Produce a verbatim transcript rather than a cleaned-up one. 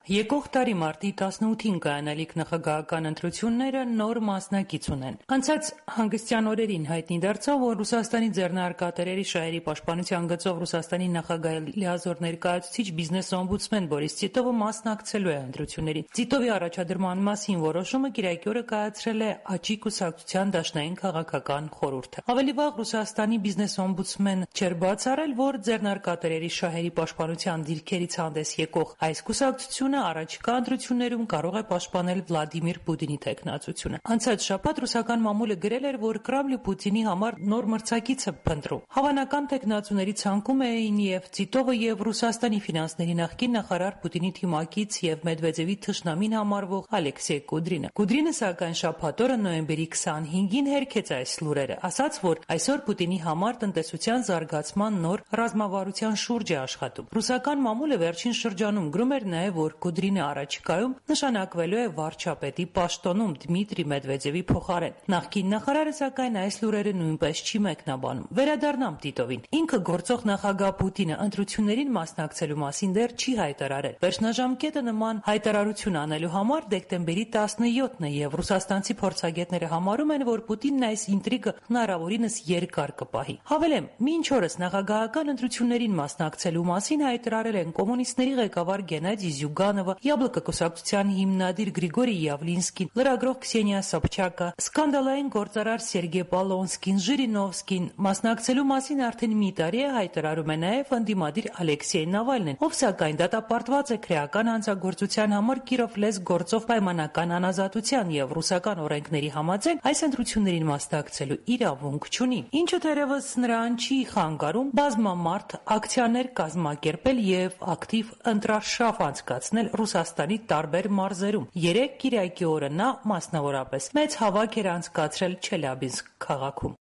Եկող տարի մարտի տասնութին կայանալիք նախագահական ընտրությունները նոր մասնակից ունեն։ Անցած հանգստյան օրերին հայտնի դարձավ, որ Ռուսաստանի ձեռնարկատերերի շահերի պաշտպանության գծով Ռուսաստանի նախագահի լիազոր ներկայացուցիչ բիզնես օմբուդսմեն Բորիս Տիտովը մասնակցելու է ընտրություններին։ Տիտովի առաջադրման մասին որոշումը կիրակի օրը կայացրել է ԱՃ կուսակցության դաշնային քաղաքական խորհուրդը։ Ավելի վաղ Ռուսաստանի բիզնես օմբուդսմեն չէր բացառել, որ ձեռնարկատերերի շահերի պաշտպանության դիրքերից հանդես եկող այս կուսակցությունը առաջիկա ընտրություններում կարող է պաշտպանել Վլադիմիր Պուտինի թեկնածությունը։ Անցած շաբաթ ռուսական մամուլը գրել էր, որ Կրեմլը Պուտինի համար նոր մրցակից է փնտրում։ Հավանական թեկնածուների ցանկում էին եւ Տիտովը եւ Ռուսաստանի ֆինանսների նախկին նախարար Պուտինի թիմակից եւ Մեդվեդևի թշնամին համարվող Ալեքսեյ Կուդրինը։ Կուդրինը սակայն շաբաթ օրը նոյեմբերի քսանհինգին հերքեց այս լուրերը, ասաց, որ այսօր Պուտինի համար տնտեսության զարգացման նոր ռազմավարության շուրջ է աշխատում։ Ռուսական մամուլը վերջին շրջանում գրում էր նաեւ, որ Կուդրինը առաջիկայում նշանակվելու է վարչապետի պաշտոնում Դմիտրի Մեդվեդևի փոխարեն։ Նախկին նախարարը սակայն այս լուրերը նույնպես չի մեկնաբանում։ Վերադառնամ Տիտովին։ Ինքը գործող նախագահ Պուտինը ընտրություններին մասնակցելու մասին դեռ չի հայտարարել։ Վերջնաժամկետը նման հայտարարություն անելու համար դեկտեմբերի տասնյոթն է եւ ռուսաստանցի փորձագետները համարում են, որ Պուտինն այս ինտրիգը հնարավորինս երկար կպահի։ Հավելեմ, մինչ օրս նախագահական ընտրություններին մասնակցելու մասին հայտարարել են կոմունիստների ղեկավար Գենադի Զյուգանովը, Յաբլոկը կուսակցության հիմնադիր Գրիգորի Յավլինսկին, լրագրող Քսենիա Սոբչակը, սկանդալային գործարար Սերգեյ Պոլոնսկին, Ժիրինովսկին մասնակցելու մասին արդեն մի տարի է հայտարարում է նաև ընդդիմադիր Ալեքսեյ Նավալնին, ով սակայն դատապարտված է քրեական հանցագործության համար Կիրով լեզ գործով պայմանական անազատության եւ ռուսական օրենքների համաձայն այս ընտրություններին մասնակցելու իրավունք չունի, ինչը թերևս նրան չի խանգարում բազմամարդ ակցիաներ կազմակերպել եւ ակտիվ ընտրարշավ անցկացնել Ռուսաստանի տարբեր մարզերում։ Երեկ կիրակի օրը նա մասնավորապես մեծ հավաք էր անցկացրել Չելյաբինսկ քաղաքում։